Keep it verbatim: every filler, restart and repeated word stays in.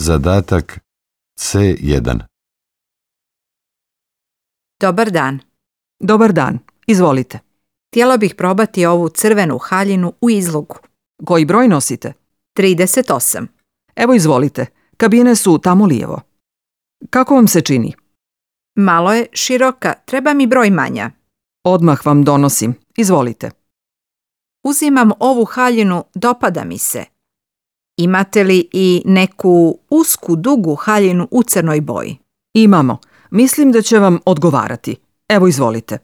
Zadatak C jedan. Dobar dan. Dobar dan, izvolite. Htjela bih probati ovu crvenu haljinu u izlogu. Koji broj nosite? trideset osam. Evo izvolite, kabine su tamo lijevo. Kako vam se čini? Malo je široka, treba mi broj manja. Odmah vam donosim, izvolite. Uzimam ovu haljinu, dopada mi se. Imate li i neku usku, dugu haljinu u crnoj boji? Imamo, mislim da će vam odgovarati. Evo izvolite.